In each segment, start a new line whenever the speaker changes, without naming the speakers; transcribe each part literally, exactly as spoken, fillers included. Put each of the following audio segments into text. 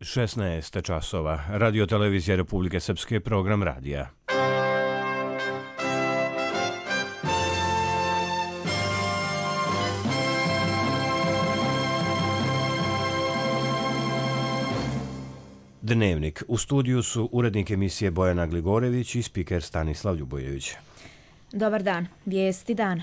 šesnaest časova. Radio televizija Republike Srpske, program radija. Dnevnik. U studiju su urednik emisije Bojana Gligorević i spiker Stanislav Ljubojević.
Dobar dan. Vijesti dana.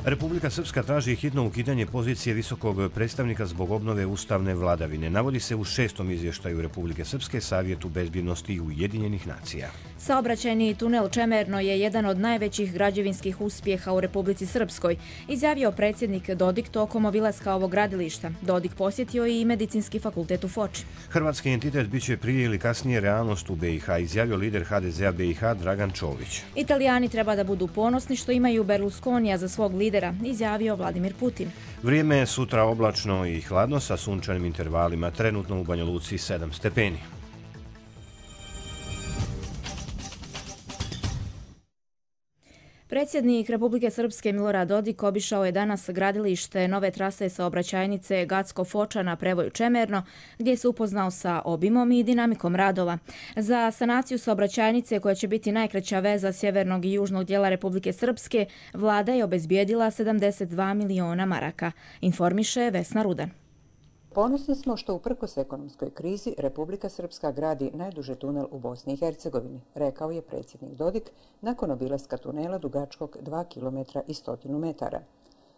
Republika Srpska traži hitno ukidanje pozicije visokog predstavnika zbog obnove ustavne vladavine. Navodi se u šestom izvještaju Republike Srpske Savjetu bezbjednosti i Ujedinjenih nacija.
Saobraćajni tunel Čemerno je jedan od najvećih građevinskih uspjeha u Republici Srpskoj, izjavio predsjednik Dodik tokom obilaska ovog gradilišta. Dodik posjetio i Medicinski fakultet u Foči.
Hrvatski entitet biće prije ili kasnije realnost u B i H, izjavio lider H D Z-a B i H Dragan Čović.
Italijani treba da budu ponosni što imaju Berlusconija za svog lidera, izjavio Vladimir Putin.
Vrijeme je sutra oblačno i hladno sa sunčanim intervalima, trenutno u Banja Luci sedam stepeni.
Predsjednik Republike Srpske Milorad Dodik obišao je danas gradilište nove trase saobraćajnice Gacko-Foča na prevoju Čemerno, gdje se upoznao sa obimom i dinamikom radova. Za sanaciju saobraćajnice, koja će biti najkraća veza sjevernog i južnog dijela Republike Srpske, vlada je obezbijedila sedamdeset dva miliona maraka, informiše Vesna Rudan.
Ponosni smo što uprkos ekonomskoj krizi Republika Srpska gradi najduži tunel u Bosni i Hercegovini, rekao je predsjednik Dodik nakon obilaska tunela dugačkog dva kilometra i stotinu metara.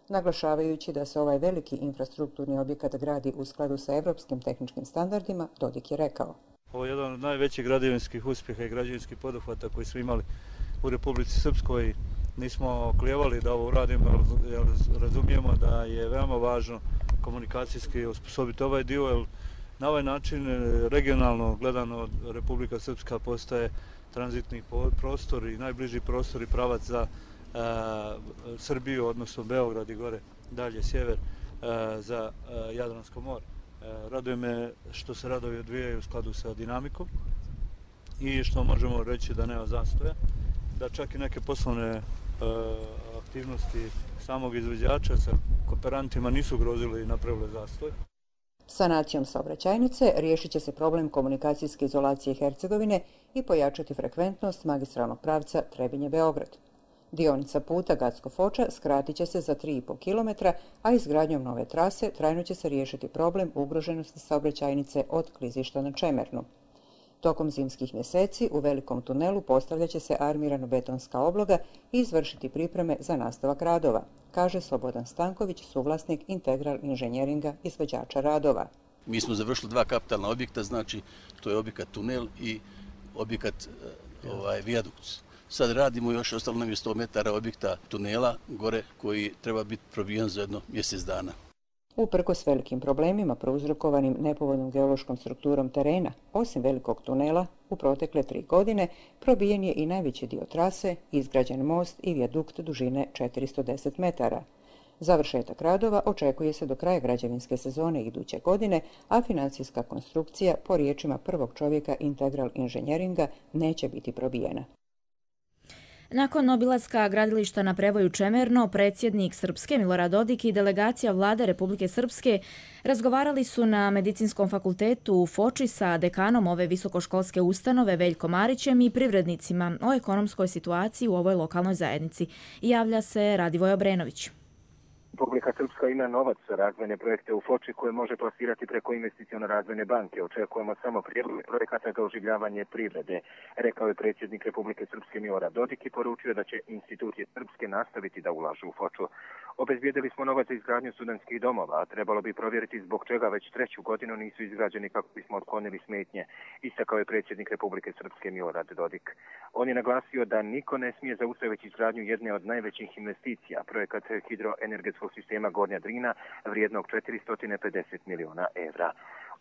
Naglašavajući da se ovaj veliki infrastrukturni objekat gradi u skladu sa evropskim tehničkim standardima, Dodik je rekao:
Ovo je jedan od najvećih građevinskih uspjeha i građevinskih poduhvata koji smo imali u Republici Srpskoj. Nismo klijevali da ovo uradimo, jer razumijemo da je veoma važno komunikacijski osposobiti ovaj dio, jer na ovaj način regionalno gledano Republika Srpska postaje tranzitni prostor i najbliži prostor i pravac za e, Srbiju, odnosno Beograd i gore dalje sjever e, za e, Jadransko more. E, raduje me što se radovi odvijaju u skladu sa dinamikom i što možemo reći da nema zastoja, da čak i neke poslovne e, aktivnosti samog izvođača sa kooperantima nisu grozili i napravili zastoj.
Sanacijom saobraćajnice riješit će se problem komunikacijske izolacije Hercegovine i pojačati frekventnost magistralnog pravca Trebinje-Beograd. Dionica puta Gacko-Foča skratit će se za tri i po kilometra, a izgradnjom nove trase trajno će se riješiti problem ugroženosti saobraćajnice od klizišta na Čemernu. Tokom zimskih mjeseci u velikom tunelu postavljat će se armirano-betonska obloga i izvršiti pripreme za nastavak radova, kaže Slobodan Stanković, suvlasnik Integral inženjeringa izvođača radova.
Mi smo završili dva kapitalna objekta, znači to je objekat tunel i objekat ovaj, vijadukt. Sad radimo još, ostalo nam je sto metara objekta tunela gore koji treba biti probijen za jedno mjesec dana.
Uprkos velikim problemima prouzrokovanim nepovoljnom geološkom strukturom terena, osim velikog tunela, u protekle tri godine probijen je i najveći dio trase, izgrađen most i vijadukt dužine četiristo deset metara. Završetak radova očekuje se do kraja građevinske sezone iduće godine, a financijska konstrukcija, po riječima prvog čovjeka Integral inženjeringa, neće biti probijena.
Nakon obilaska gradilišta na prevoju Čemerno, predsjednik Srpske Milorad Dodik i delegacija vlade Republike Srpske razgovarali su na Medicinskom fakultetu u Foči sa dekanom ove visokoškolske ustanove Veljkom Marićem i privrednicima o ekonomskoj situaciji u ovoj lokalnoj zajednici. Javlja se Radivoj Obrenović.
Republika Srpska ima novac za razvojne projekte u Foči koje može plasirati preko investicione razvojne banke. Očekujemo samo prijedloge projekata za oživljavanje privrede, rekao je predsjednik Republike Srpske Milorad Dodik i poručio da će institucije srpske nastaviti da ulažu u Foču. Obezbijedili smo novac za izgradnju studentskih domova, a trebalo bi provjeriti zbog čega već treću godinu nisu izgrađeni kako bismo otklonili smetnje, istakao je predsjednik Republike Srpske Milorad Dodik. On je naglasio da niko ne smije zaustaviti izgradnju jedne od najvećih investicija, projekat hidroenergetskog sistema Gornja Drina vrijednog četiristo pedeset miliona evra.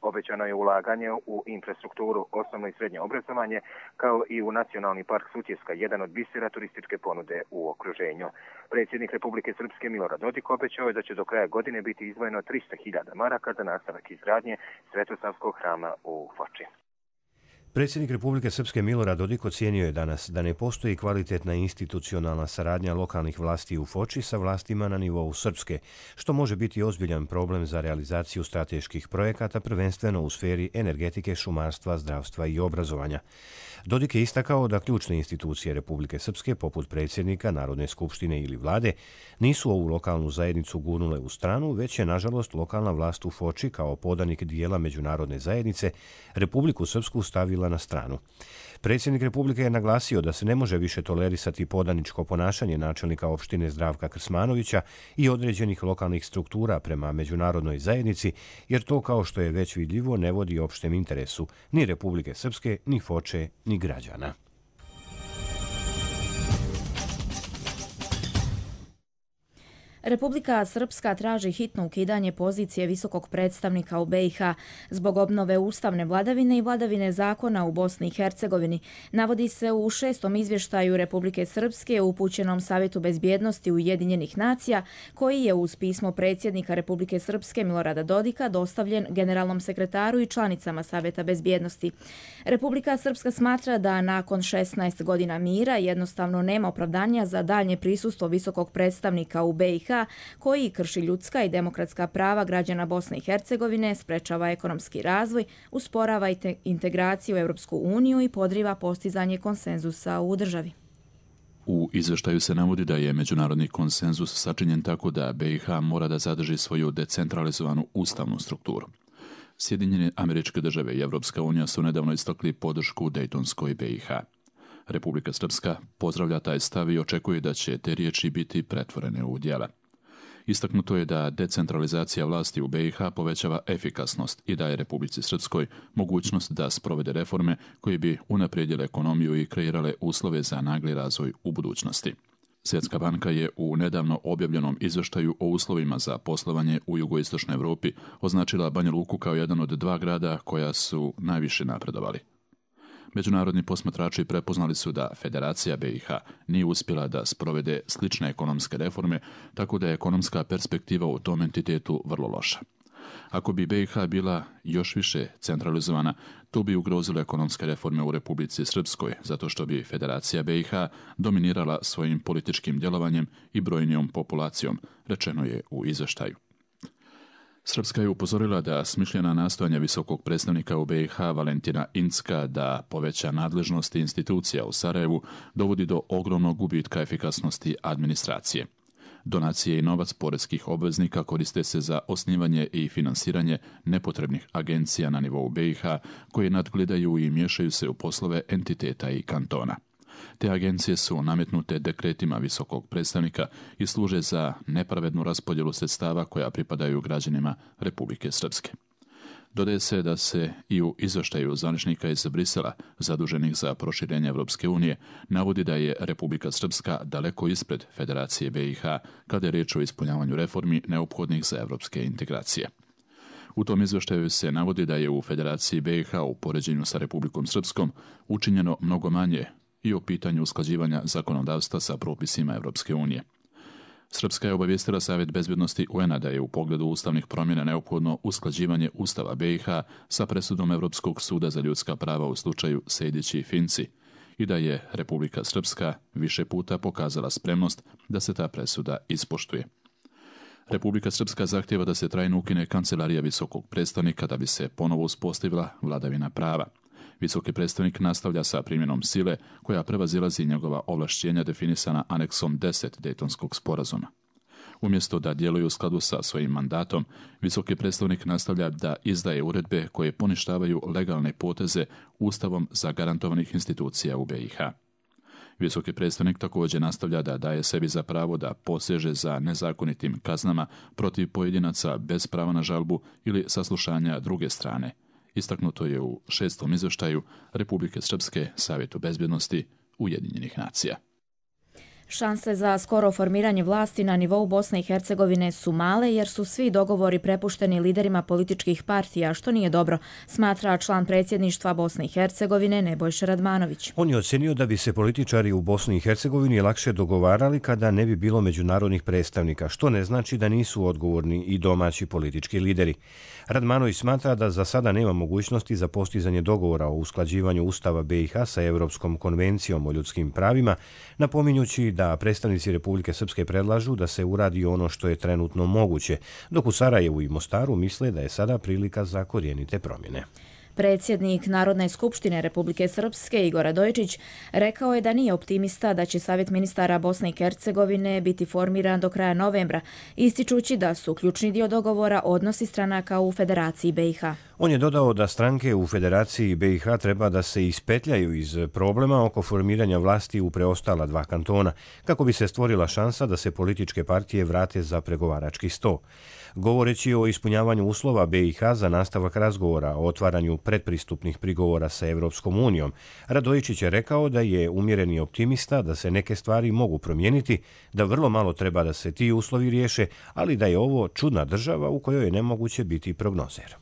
Obećano je ulaganje u infrastrukturu, osnovno i srednje obrazovanje, kao i u Nacionalni park Sutjeska, jedan od bisera turističke ponude u okruženju. Predsjednik Republike Srpske Milorad Dodik obećao je da će do kraja godine biti izdvojeno tristo hiljada maraka za nastavak izgradnje Svetosavskog hrama u Foči.
Predsjednik Republike Srpske Milorad Dodik ocijenio je danas da ne postoji kvalitetna institucionalna saradnja lokalnih vlasti u Foči sa vlastima na nivou Srpske, što može biti ozbiljan problem za realizaciju strateških projekata, prvenstveno u sferi energetike, šumarstva, zdravstva i obrazovanja. Dodik je istakao da ključne institucije Republike Srpske, poput predsjednika, Narodne skupštine ili vlade, nisu ovu lokalnu zajednicu gurnule u stranu, već je, nažalost, lokalna vlast u Foči kao podanik dijela međunarodne zajednice Republiku Srpsku stavila na stranu. Predsjednik Republike je naglasio da se ne može više tolerisati podaničko ponašanje načelnika opštine Zdravka Krsmanovića i određenih lokalnih struktura prema međunarodnoj zajednici, jer to, kao što je već vidljivo, ne vodi opštem interesu ni Republike Srpske, ni Foče, ni građana.
Republika Srpska traži hitno ukidanje pozicije visokog predstavnika u B i H zbog obnove ustavne vladavine i vladavine zakona u Bosni i Hercegovini. Navodi se u šestom izvještaju Republike Srpske upućenom Savjetu bezbjednosti Ujedinjenih nacija, koji je uz pismo predsjednika Republike Srpske Milorada Dodika dostavljen generalnom sekretaru i članicama Savjeta bezbjednosti. Republika Srpska smatra da nakon šesnaest godina mira jednostavno nema opravdanja za daljnje prisustvo visokog predstavnika u B i H koji krši ljudska i demokratska prava građana Bosne i Hercegovine, sprečava ekonomski razvoj, usporava integraciju u Europsku uniju i podriva postizanje konsenzusa u državi.
U izveštaju se navodi da je međunarodni konsenzus sačinjen tako da B i H mora da zadrži svoju decentralizovanu ustavnu strukturu. Sjedinjene Američke Države i Evropska unija su nedavno istakli podršku Dejtonskoj B i H. Republika Srpska pozdravlja taj stav i očekuje da će te riječi biti pretvorene u djela. Istaknuto je da decentralizacija vlasti u B i H povećava efikasnost i daje Republici Srpskoj mogućnost da sprovede reforme koje bi unaprijedile ekonomiju i kreirale uslove za nagli razvoj u budućnosti. Svjetska banka je u nedavno objavljenom izvještaju o uslovima za poslovanje u jugoistočnoj Europi označila Banja Luku kao jedan od dva grada koja su najviše napredovali. Međunarodni posmatrači prepoznali su da Federacija B i H nije uspjela da sprovede slične ekonomske reforme, tako da je ekonomska perspektiva u tom entitetu vrlo loša. Ako bi B i H bila još više centralizovana, to bi ugrozilo ekonomske reforme u Republici Srpskoj, zato što bi Federacija B i H dominirala svojim političkim djelovanjem i brojnijom populacijom, rečeno je u izvještaju. Srpska je upozorila da smišljena nastojanja visokog predstavnika u B i H Valentina Incka da poveća nadležnosti institucija u Sarajevu dovodi do ogromnog gubitka efikasnosti administracije. Donacije i novac poreskih obveznika koriste se za osnivanje i finansiranje nepotrebnih agencija na nivou B i H koje nadgledaju i miješaju se u poslove entiteta i kantona. Te agencije su nametnute dekretima visokog predstavnika i služe za nepravednu raspodjelu sredstava koja pripadaju građanima Republike Srpske. Dodaje se da se i u izvještaju zvaničnika iz Brisela, zaduženih za proširenje Evropske unije, navodi da je Republika Srpska daleko ispred Federacije B i H kada je riječ o ispunjavanju reformi neophodnih za evropske integracije. U tom izvještaju se navodi da je u Federaciji B i H u poređenju sa Republikom Srpskom učinjeno mnogo manje i o pitanju usklađivanja zakonodavstva sa propisima Evropske unije. Srpska je obavijestila Savjet bezbjednosti U N-a da je u pogledu ustavnih promjena neophodno usklađivanje Ustava B i H sa presudom Evropskog suda za ljudska prava u slučaju Sejdić i Finci i da je Republika Srpska više puta pokazala spremnost da se ta presuda ispoštuje. Republika Srpska zahtjeva da se trajno ukine kancelarija visokog predstavnika da bi se ponovo uspostavila vladavina prava. Visoki predstavnik nastavlja sa primjenom sile koja prevazilazi njegova ovlašćenja definisana aneksom deset Dejtonskog sporazuma. Umjesto da djeluje u skladu sa svojim mandatom, visoki predstavnik nastavlja da izdaje uredbe koje poništavaju legalne poteze Ustavom zagarantovanih institucija u B i H. Visoki predstavnik također nastavlja da daje sebi za pravo da poseže za nezakonitim kaznama protiv pojedinaca bez prava na žalbu ili saslušanja druge strane. Istaknuto je u šestom izvještaju Republike Srpske Savjetu bezbjednosti Ujedinjenih nacija.
Šanse za skoro formiranje vlasti na nivou Bosne i Hercegovine su male jer su svi dogovori prepušteni liderima političkih partija, što nije dobro, smatra član predsjedništva Bosne i Hercegovine Nebojša Radmanović.
On je ocenio da bi se političari u Bosni i Hercegovini lakše dogovarali kada ne bi bilo međunarodnih predstavnika, što ne znači da nisu odgovorni i domaći politički lideri. Radmanović smatra da za sada nema mogućnosti za postizanje dogovora o usklađivanju Ustava B i H sa Evropskom konvencijom o ljudskim pravima, napominjući da predstavnici Republike Srpske predlažu da se uradi ono što je trenutno moguće, dok u Sarajevu i Mostaru misle da je sada prilika za korijenite promjene.
Predsjednik Narodne skupštine Republike Srpske Igor Radojičić rekao je da nije optimista da će Savjet ministara Bosne i Hercegovine biti formiran do kraja novembra, ističući da su ključni dio dogovora odnosi stranaka u Federaciji B i H.
On je dodao da stranke u Federaciji B i H treba da se ispetljaju iz problema oko formiranja vlasti u preostala dva kantona, kako bi se stvorila šansa da se političke partije vrate za pregovarački sto. Govoreći o ispunjavanju uslova B i H za nastavak razgovora o otvaranju predpristupnih prigovora sa Evropskom unijom, Radojičić je rekao da je umjereni optimista da se neke stvari mogu promijeniti, da vrlo malo treba da se ti uslovi riješe, ali da je ovo čudna država u kojoj je nemoguće biti prognozer.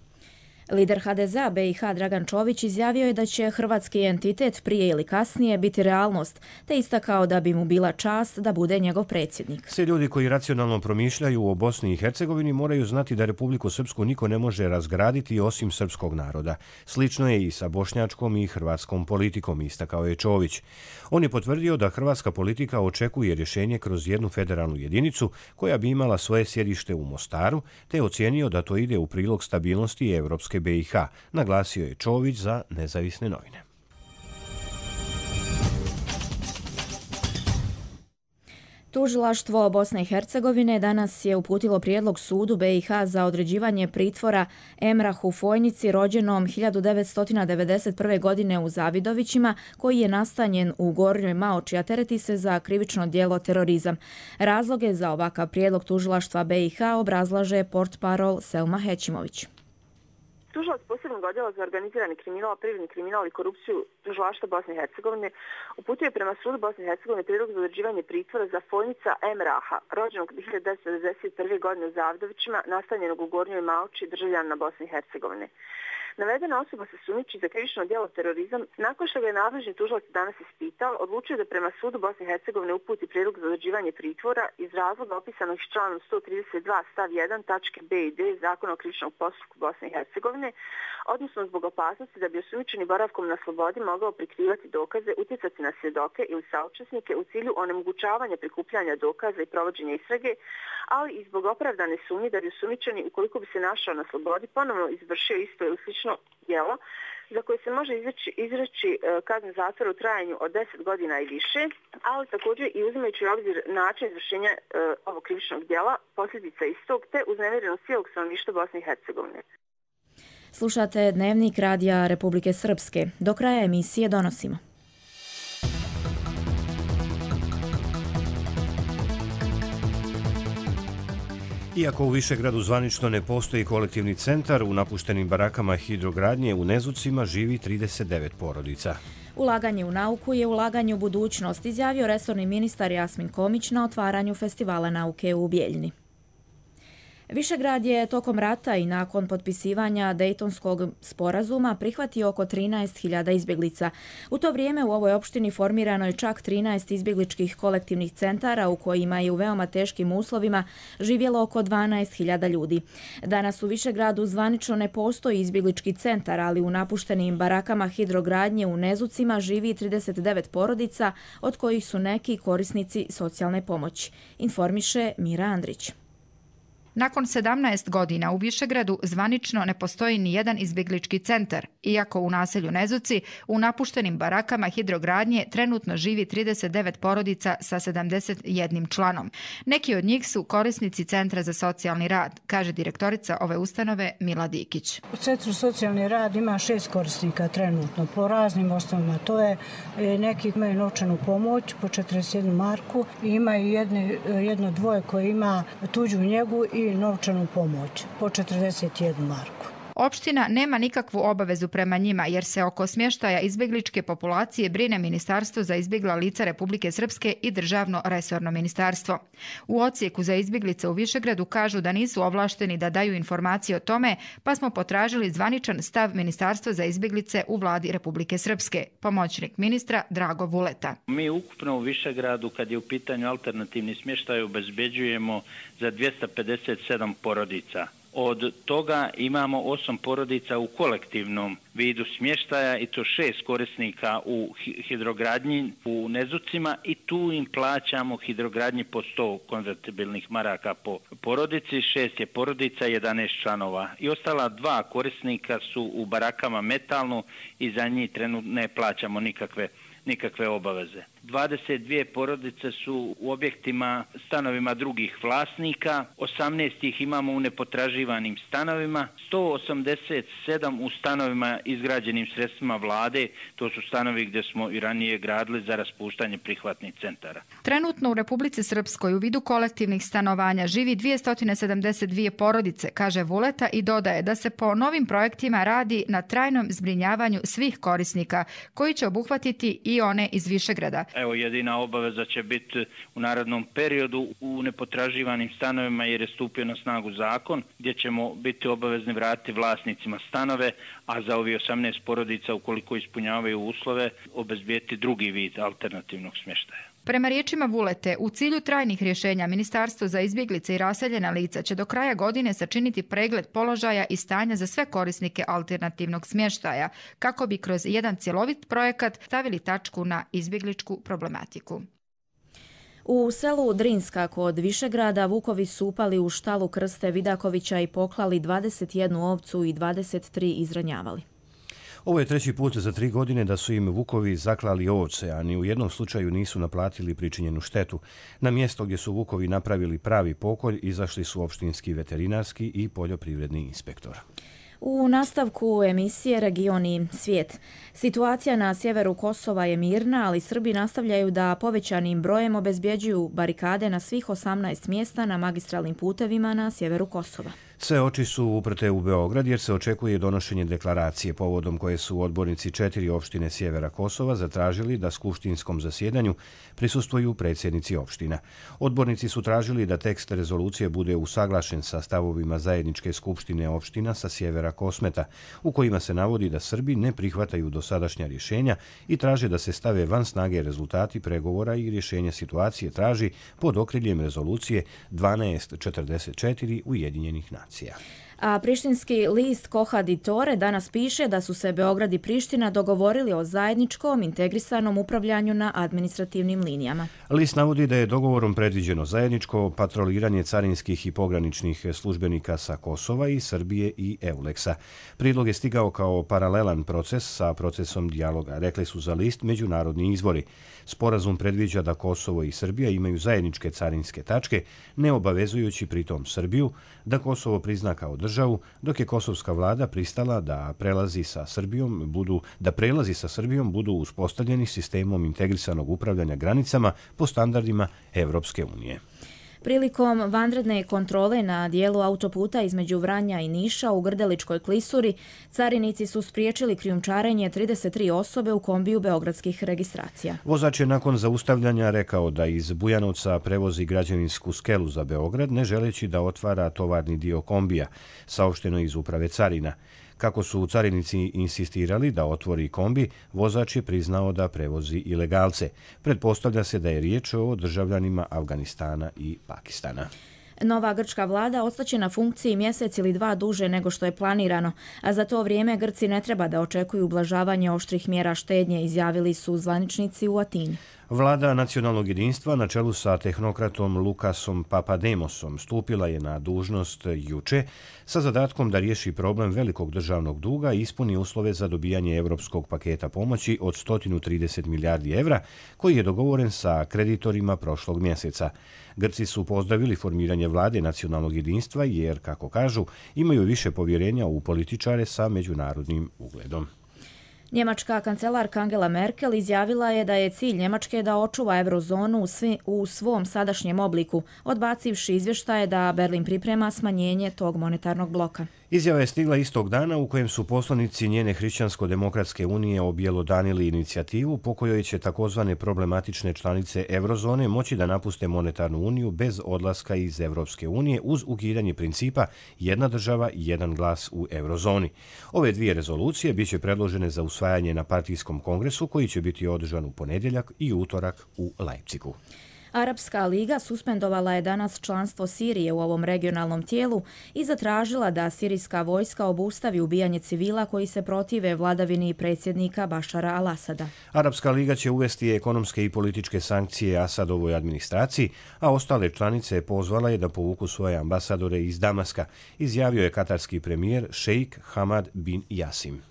Lider H D Z a B i H Dragan Čović izjavio je da će hrvatski entitet prije ili kasnije biti realnost, te istakao da bi mu bila čast da bude njegov predsjednik.
Svi ljudi koji racionalno promišljaju o Bosni i Hercegovini moraju znati da Republiku Srpsku niko ne može razgraditi osim srpskog naroda. Slično je i sa bošnjačkom i hrvatskom politikom, istakao je Čović. On je potvrdio da hrvatska politika očekuje rješenje kroz jednu federalnu jedinicu koja bi imala svoje sjedište u Mostaru, te ocijenio da to ide u prilog stabilnosti Evropske B i H, naglasio je Čović za Nezavisne novine.
Tužilaštvo Bosne i Hercegovine danas je uputilo prijedlog sudu B i H za određivanje pritvora Emrahu Fojnici, rođenom hiljadu devetsto devedeset prve. godine u Zavidovićima, koji je nastanjen u Gornjoj Maoči, a tereti se za krivično djelo terorizam. Razloge za ovakav prijedlog tužilaštva B i H obrazlaže portparol Selma Hećimović.
Tužilac posebnog odjela za organizirani kriminal, privredni kriminal i korupciju Tužilaštva Bosne i Hercegovine uputio je prema sudu Bosne i Hercegovine prijedlog za određivanje pritvora za Fojnica Emraha, rođenog hiljadu devetsto devedeset prve. godine u Zavidovićima, nastanjenog u Gornjoj Maoči, državljanina Bosne i Hercegovine. Navedena osoba se sumnjiči za krivično djelo terorizam. Nakon što ga je nadležni tužilac danas ispitao, odlučio da prema sudu Bosne i Hercegovine uputi prijedlog za određivanje pritvora iz razloga opisanog članom sto trideset dva stav jedan tačke B i D Zakona o krivičnom postupku Bosne i Hercegovine, odnosno zbog opasnosti da bi osumnjičeni boravkom na slobodi mogao prikrivati dokaze, utjecati na svjedoke ili saučesnike u cilju onemogućavanja prikupljanja dokaza i provođenja istrage, ali i zbog opravdane sumnje da bi osumnjičeni, ukoliko bi se našao na slobodi, ponovno izvršio isto ili slično djelo za koje se može izreći, izreći kazna zatvora u trajanju od deset godina i više, ali također i uzimajući u obzir način izvršenja e, ovog krivičnog djela, posljedica istog, te uznemirenost cijelog stanovništva Bosne i Hercegovine.
Slušate Dnevnik radija Republike Srpske. Do kraja emisije donosimo.
Iako u Višegradu zvanično ne postoji kolektivni centar, u napuštenim barakama hidrogradnje u Nezucima živi trideset devet porodica.
Ulaganje u nauku je ulaganje u budućnost, izjavio resorni ministar Jasmin Komić na otvaranju Festivala nauke u Bijeljini. Višegrad je tokom rata i nakon potpisivanja Dejtonskog sporazuma prihvatio oko trinaest hiljada izbjeglica. U to vrijeme u ovoj opštini formirano je čak trinaest izbjegličkih kolektivnih centara u kojima je u veoma teškim uslovima živjelo oko dvanaest hiljada ljudi. Danas u Višegradu zvanično ne postoji izbjeglički centar, ali u napuštenim barakama hidrogradnje u Nezucima živi trideset devet porodica, od kojih su neki korisnici socijalne pomoći, informiše Mira Andrić.
Nakon sedamnaest godina u Višegradu zvanično ne postoji ni jedan izbjeglički centar, iako u naselju Nezuci u napuštenim barakama hidrogradnje trenutno živi trideset devet porodica sa sedamdeset jednim članom. Neki od njih su korisnici Centra za socijalni rad, kaže direktorica ove ustanove Mila Dikić.
U Centru socijalni rad ima šest korisnika trenutno po raznim osnovama. To je neki imaju novčanu pomoć po četrdeset jednu marku i imaju jedne, jedno dvoje koje ima tuđu njegu i novčanu pomoć po četrdeset jednu marku.
Opština nema nikakvu obavezu prema njima jer se oko smještaja izbjegličke populacije brine Ministarstvo za izbjegla lica Republike Srpske i Državno resorno ministarstvo. U odsjeku za izbjeglice u Višegradu kažu da nisu ovlašteni da daju informacije o tome, pa smo potražili zvaničan stav Ministarstva za izbjeglice u vladi Republike Srpske. Pomoćnik ministra Drago Vuleta.
Mi ukupno u Višegradu, kad je u pitanju alternativni smještaj, obezbeđujemo za dvjesto pedeset sedam porodica. Od toga imamo osam porodica u kolektivnom vidu smještaja i to šest korisnika u hidrogradnji u Nezucima i tu im plaćamo hidrogradnji po sto konvertibilnih maraka po porodici, šest je porodica, jedanaest članova. I ostala dva korisnika su u barakama metalno i za njih trenutno ne plaćamo nikakve nikakve obaveze. dvadeset dvije porodice su u objektima, stanovima drugih vlasnika, osamnaest ih imamo u nepotraživanim stanovima, sto osamdeset sedam u stanovima izgrađenim sredstvima vlade, to su stanovi gdje smo i ranije gradili za raspuštanje prihvatnih centara.
Trenutno u Republici Srpskoj u vidu kolektivnih stanovanja živi dvjesto sedamdeset dvije porodice, kaže Vuleta i dodaje da se po novim projektima radi na trajnom zbrinjavanju svih korisnika, koji će obuhvatiti i one iz Višegrada.
Evo, jedina obaveza će biti u narednom periodu u nepotraživanim stanovima jer je stupio na snagu zakon gdje ćemo biti obavezni vratiti vlasnicima stanove, a za ovi osamnaest porodica ukoliko ispunjavaju uslove obezbijeti drugi vid alternativnog smještaja.
Prema riječima Vulete, u cilju trajnih rješenja Ministarstvo za izbjeglice i raseljena lica će do kraja godine sačiniti pregled položaja i stanja za sve korisnike alternativnog smještaja, kako bi kroz jedan cjelovit projekat stavili tačku na izbjegličku problematiku.
U selu Drinska kod Višegrada vukovi su upali u štalu Krste Vidakovića i poklali dvadeset jednu ovcu i dvadeset tri izranjavali.
Ovo je treći put za tri godine da su im vukovi zaklali ovce, a ni u jednom slučaju nisu naplatili pričinjenu štetu. Na mjesto gdje su vukovi napravili pravi pokolj izašli su opštinski veterinarski i poljoprivredni inspektor.
U nastavku emisije Region i svijet. Situacija na sjeveru Kosova je mirna, ali Srbi nastavljaju da povećanim brojem obezbjeđuju barikade na svih osamnaest mjesta na magistralnim putevima na sjeveru Kosova.
Sve oči su uprte u Beograd jer se očekuje donošenje deklaracije povodom koje su odbornici četiri opštine sjevera Kosova zatražili da skupštinskom zasjedanju prisustvuju predsjednici opština. Odbornici su tražili da tekst rezolucije bude usaglašen sa stavovima zajedničke skupštine opština sa sjevera Kosmeta, u kojima se navodi da Srbi ne prihvataju dosadašnja rješenja i traže da se stave van snage rezultati pregovora i rješenja situacije traži pod okriljem rezolucije dvanaest četrdeset četiri Ujedinjenih nacija.
A prištinski list Koha Ditore danas piše da su se Beograd i Priština dogovorili o zajedničkom integrisanom upravljanju na administrativnim linijama.
List navodi da je dogovorom predviđeno zajedničko patroliranje carinskih i pograničnih službenika sa Kosova i Srbije i Euleksa. Prijedlog je stigao kao paralelan proces sa procesom dijaloga, rekli su za list međunarodni izvori. Sporazum predviđa da Kosovo i Srbija imaju zajedničke carinske tačke, ne obavezujući pritom Srbiju da Kosovo prizna kao državu, dok je kosovska vlada pristala da prelazi sa Srbijom budu da prelazi sa Srbijom budu uspostavljeni sistemom integrisanog upravljanja granicama po standardima Evropske unije.
Prilikom vanredne kontrole na dijelu autoputa između Vranja i Niša u Grdeličkoj klisuri, carinici su spriječili krijumčarenje trideset tri osobe u kombiju beogradskih registracija.
Vozač je nakon zaustavljanja rekao da iz Bujanovca prevozi građevinsku skelu za Beograd, ne želeći da otvara tovarni dio kombija, saopšteno iz uprave carina. Kako su carinici insistirali da otvori kombi, vozač je priznao da prevozi ilegalce. Pretpostavlja se da je riječ o državljanima Afganistana i Pakistana.
Nova grčka vlada ostaće na funkciji mjesec ili dva duže nego što je planirano, a za to vrijeme Grci ne treba da očekuju ublažavanje oštrih mjera štednje, izjavili su zvaničnici u Atini.
Vlada nacionalnog jedinstva na čelu sa tehnokratom Lukasom Papademosom stupila je na dužnost juče sa zadatkom da riješi problem velikog državnog duga i ispuni uslove za dobijanje evropskog paketa pomoći od sto trideset milijardi evra koji je dogovoren sa kreditorima prošlog mjeseca. Grci su pozdravili formiranje vlade nacionalnog jedinstva jer, kako kažu, imaju više povjerenja u političare sa međunarodnim ugledom.
Njemačka kancelarka Angela Merkel izjavila je da je cilj Njemačke da očuva eurozonu u, svi, u svom sadašnjem obliku, odbacivši izvještaje da Berlin priprema smanjenje tog monetarnog bloka.
Izjava je stigla istog dana u kojem su poslanici njene Hrišćansko-demokratske unije objelodanili inicijativu po kojoj će takozvane problematične članice eurozone moći da napuste monetarnu uniju bez odlaska iz Evropske unije uz ukidanje principa jedna država, jedan glas u eurozoni. Ove dvije rezolucije biće predložene za usvajanje na partijskom kongresu koji će biti održan u ponedjeljak i utorak u Leipzigu.
Arapska liga suspendovala je danas članstvo Sirije u ovom regionalnom tijelu i zatražila da sirijska vojska obustavi ubijanje civila koji se protive vladavini predsjednika Bašara al-Asada.
Arapska liga će uvesti ekonomske i političke sankcije Asadovoj administraciji, a ostale članice pozvala je da povuku svoje ambasadore iz Damaska, izjavio je katarski premijer šejk Hamad bin Jasim.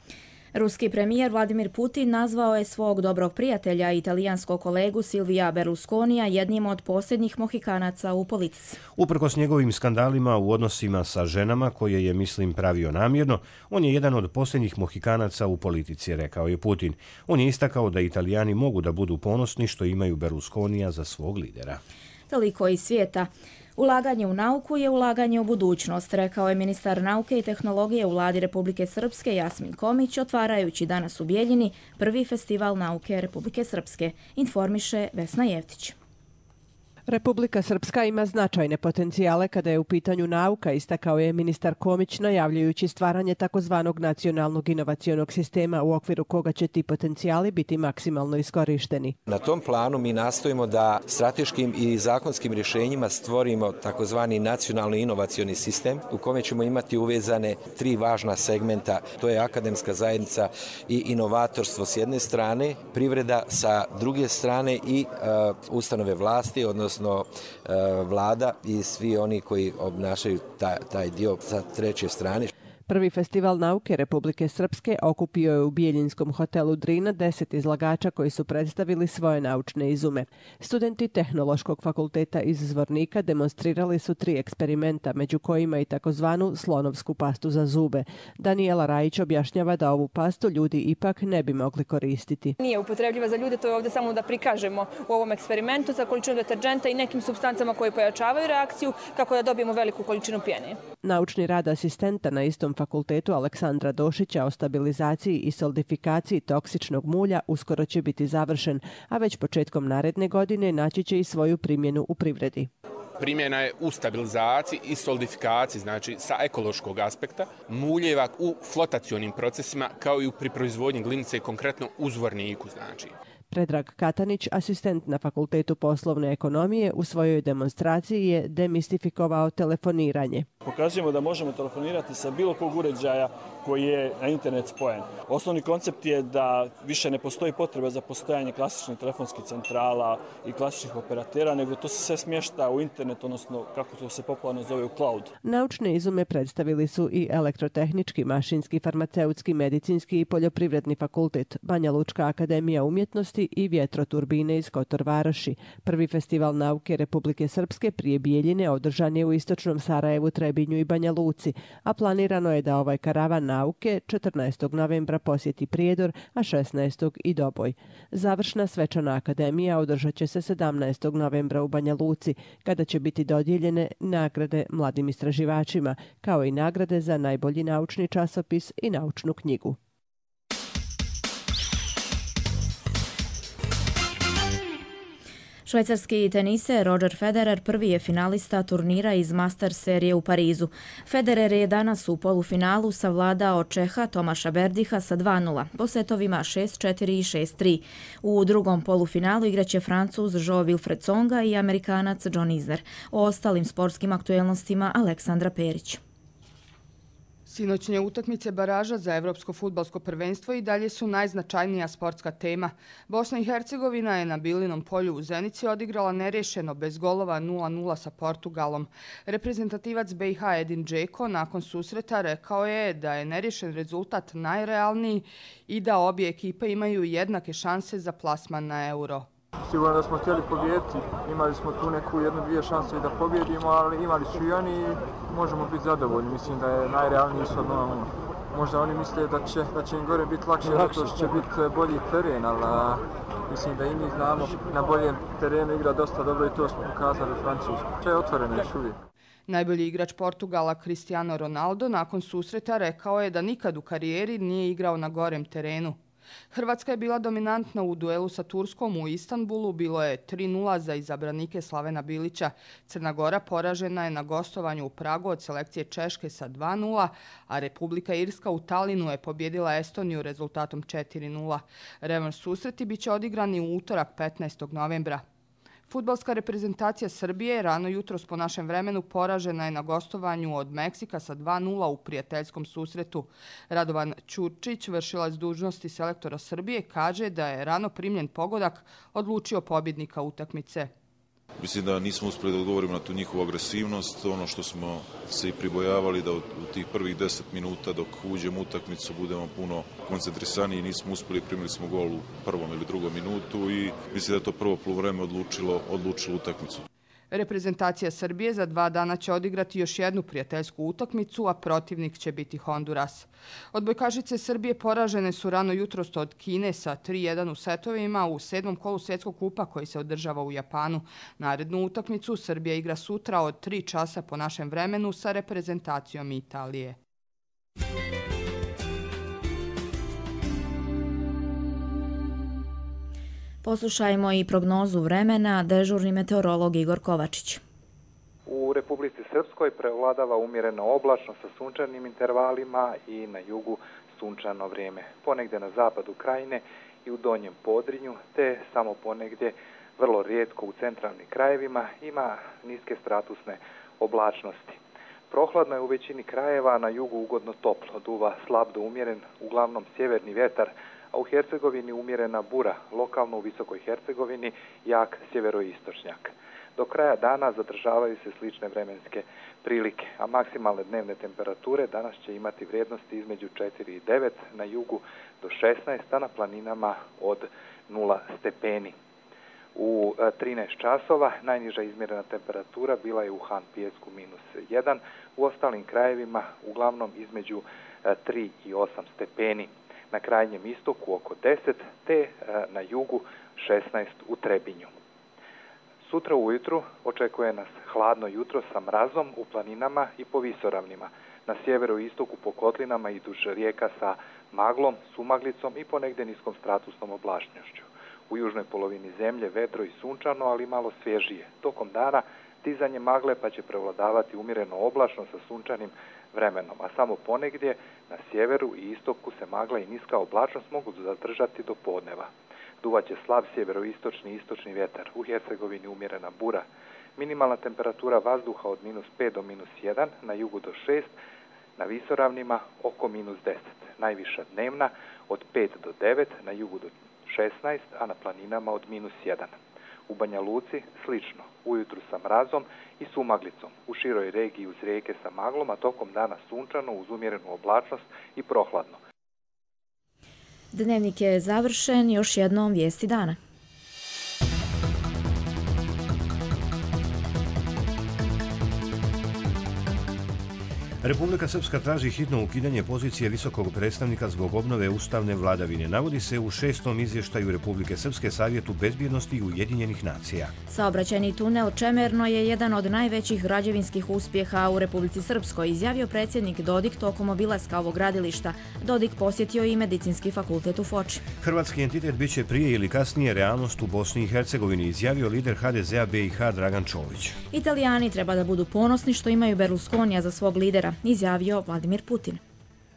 Ruski premijer Vladimir Putin nazvao je svog dobrog prijatelja i italijanskog kolegu Silvija Berlusconija jednim od posljednjih mohikanaca u politici.
Uprkos njegovim skandalima u odnosima sa ženama, koje je, mislim, pravio namjerno, on je jedan od posljednjih mohikanaca u politici, rekao je Putin. On je istakao da Italijani mogu da budu ponosni što imaju Berlusconija za svog lidera.
Toliko iz svijeta. Ulaganje u nauku je ulaganje u budućnost, rekao je ministar nauke i tehnologije u vladi Republike Srpske Jasmin Komić, otvarajući danas u Bijeljini prvi festival nauke Republike Srpske, informiše Vesna Jevtić.
Republika Srpska ima značajne potencijale kada je u pitanju nauka, istakao je ministar Komić, najavljujući stvaranje takozvanog nacionalnog inovacionog sistema u okviru koga će ti potencijali biti maksimalno iskorišteni.
Na tom planu mi nastojimo da strateškim i zakonskim rješenjima stvorimo takozvani nacionalni inovacioni sistem u kome ćemo imati uvezane tri važna segmenta. To je akademska zajednica i inovatorstvo s jedne strane, privreda sa druge strane i uh, ustanove vlasti, odnosno odnosno vlada i svi oni koji obnašaju taj, taj dio sa treće strane.
Prvi festival nauke Republike Srpske okupio je u Bijeljinskom hotelu Drina deset izlagača koji su predstavili svoje naučne izume. Studenti Tehnološkog fakulteta iz Zvornika demonstrirali su tri eksperimenta, među kojima i takozvanu slonovsku pastu za zube. Danijela Rajić objašnjava da ovu pastu ljudi ipak ne bi mogli koristiti.
Nije upotrebljiva za ljude, to je ovdje samo da prikažemo u ovom eksperimentu sa količinom deterđenta i nekim supstancama koje pojačavaju reakciju kako da dobijemo veliku količinu pjene.
Naučni rad asistenta na istom fakultetu Aleksandra Došića o stabilizaciji i solidifikaciji toksičnog mulja uskoro će biti završen, a već početkom naredne godine naći će i svoju primjenu u privredi.
Primjena je u stabilizaciji i solidifikaciji, znači sa ekološkog aspekta, muljeva u flotacionim procesima kao i pri proizvodnji glinice, konkretno u Zvorniku, znači.
Predrag Katanić, asistent na Fakultetu poslovne ekonomije, u svojoj demonstraciji je demistifikovao telefoniranje.
Pokazujemo da možemo telefonirati sa bilo kog uređaja koji je na internet spojen. Osnovni koncept je da više ne postoji potreba za postojanje klasičnih telefonskih centrala i klasičnih operatera, nego to se sve smješta u internet, odnosno kako to se popularno zove u cloud.
Naučne izume predstavili su i Elektrotehnički, Mašinski, Farmaceutski, Medicinski i Poljoprivredni fakultet, Banja Lučka akademija umjetnosti i vjetroturbine iz Kotor Varoši. Prvi festival nauke Republike Srpske prije Bijeljine održan je u istočnom Sarajevu, Trebinju i Banja Luci, a planirano je da ovaj karavan nauke četrnaestog novembra posjeti Prijedor, a šesnaestog i Doboj. Završna svečana akademija održat će se sedamnaestog novembra u Banja Luci, kada će biti dodijeljene nagrade mladim istraživačima, kao i nagrade za najbolji naučni časopis i naučnu knjigu.
Švajcarski teniser Roger Federer prvi je finalista turnira iz Masters serije u Parizu. Federer je danas u polufinalu savladao Čeha Tomaša Berdiha sa dva nula, po setovima šest četiri i šest tri. U drugom polufinalu igraće Francuz Jo-Wilfried Tsonga i Amerikanac John Isner. O ostalim sportskim aktuelnostima Aleksandra Perić.
Sinoćnje utakmice baraža za Evropsko fudbalsko prvenstvo i dalje su najznačajnija sportska tema. Bosna i Hercegovina je na Bilinom polju u Zenici odigrala nerješeno bez golova nula nula sa Portugalom. Reprezentativac B i H Edin Džeko nakon susreta rekao je da je nerješen rezultat najrealniji i da obje ekipe imaju jednake šanse za plasman na Euro.
Sigurno da smo htjeli pobijediti, imali smo tu neku jednu, dvije šanse da pobjedimo, ali imali su i oni i možemo biti zadovoljni. Mislim da je najrealniji su ono, možda oni misle da će, da će im gore biti lakše, zato što će biti bolji teren, ali mislim da i mi znamo na boljem terenu igra dosta dobro i to smo pokazali u Francusku. To je otvoreno još uvijek.
Najbolji igrač Portugala Cristiano Ronaldo nakon susreta rekao je da nikad u karijeri nije igrao na gorem terenu. Hrvatska je bila dominantna u duelu sa Turskom u Istanbulu, bilo je tri nula za izabranike Slavena Bilića. Crna Gora poražena je na gostovanju u Pragu od selekcije Češke sa dva nula, a Republika Irska u Talinu je pobjedila Estoniju rezultatom četiri nula. Revanš susreti biće odigrani u utorak petnaestog novembra. Fudbalska reprezentacija Srbije rano jutros po našem vremenu poražena je na gostovanju od Meksika sa dva nula u prijateljskom susretu. Radovan Ćurčić, vršilac dužnosti selektora Srbije, kaže da je rano primljen pogodak odlučio pobjednika utakmice.
Mislim da nismo uspjeli da odgovorimo na tu njihovu agresivnost, ono što smo se i pribojavali da u tih prvih deset minuta dok uđemo u utakmicu budemo puno koncentrisaniji, nismo uspjeli, primili smo gol u prvom ili drugom minutu i mislim da je to prvo poluvreme odlučilo, odlučilo utakmicu.
Reprezentacija Srbije za dva dana će odigrati još jednu prijateljsku utakmicu, a protivnik će biti Honduras. Odbojkašice Srbije poražene su rano jutros od Kine sa tri jedan u setovima u sedmom kolu svjetskog kupa koji se održava u Japanu. Narednu utakmicu Srbija igra sutra od tri časa po našem vremenu sa reprezentacijom Italije.
Poslušajmo i prognozu vremena, dežurni meteorolog Igor Kovačić.
U Republici Srpskoj prevladava umjereno oblačno sa sunčanim intervalima i na jugu sunčano vrijeme. Ponegdje na zapadu krajine i u donjem Podrinju, te samo ponegdje vrlo rijetko u centralnim krajevima ima niske stratusne oblačnosti. Prohladno je u većini krajeva, na jugu ugodno toplo, duva slab do umjeren, uglavnom sjeverni vjetar, a u Hercegovini umjerena bura, lokalno u Visokoj Hercegovini jak sjeveroistočnjak. Do kraja dana zadržavaju se slične vremenske prilike, a maksimalne dnevne temperature danas će imati vrijednosti između četiri i devet, na jugu do šesnaest, a na planinama od nula stepeni. U trinaest časova najniža izmjerena temperatura bila je u Han Pijesku minus jedan, u ostalim krajevima uglavnom između tri i osam stepeni. Na krajnjem istoku oko deset, te na jugu šesnaest u Trebinju. Sutra ujutru očekuje nas hladno jutro sa mrazom u planinama i po visoravnima. Na sjeveru i istoku po kotlinama i duž rijeka sa maglom, sumaglicom i ponegdje niskom stratusnom oblačnošću. U južnoj polovini zemlje vedro i sunčano, ali malo svježije. Tokom dana dizanje magle pa će prevladavati umjereno oblačno sa sunčanim vremenom, a samo ponegdje na sjeveru i istoku se magla i niska oblačnost mogu zadržati do podneva. Duvaće slab sjeveroistočni i istočni vjetar, u Hercegovini umjerena bura. Minimalna temperatura vazduha od minus pet do minus jedan, na jugu do šest, na visoravnima oko minus deset. Najviša dnevna od pet do devet, na jugu do šesnaest, a na planinama od minus jedan. U Banja Luci slično, ujutru sa mrazom i sumaglicom, u široj regiji uz rijeke sa maglom, a tokom dana sunčano uz umjerenu oblačnost i prohladno.
Dnevnik je završen, još jednom vijesti dana.
Republika Srpska traži hitno ukidanje pozicije visokog predstavnika zbog obnove ustavne vladavine. Navodi se u šestom izvještaju Republike Srpske Savjetu bezbjednosti Ujedinjenih nacija.
Saobraćajni tunel Čemerno je jedan od najvećih građevinskih uspjeha u Republici Srpskoj, izjavio predsjednik Dodik tokom obilaska ovog gradilišta. Dodik posjetio i medicinski fakultet u Foči.
Hrvatski entitet biće prije ili kasnije realnost u Bosni i Hercegovini, izjavio lider ha de zea be i ha Dragan Čović.
Italijani treba da budu ponosni što imaju Berlusconija za svog lidera, izjavio Vladimir Putin.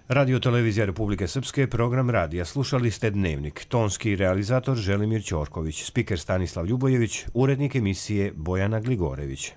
Radio Televizija Republike Srpske, program radija. Slušali ste Dnevnik. Tonski realizator Želimir Ćorković, spiker Stanislav Ljubojević, urednik emisije Bojana Gligorević.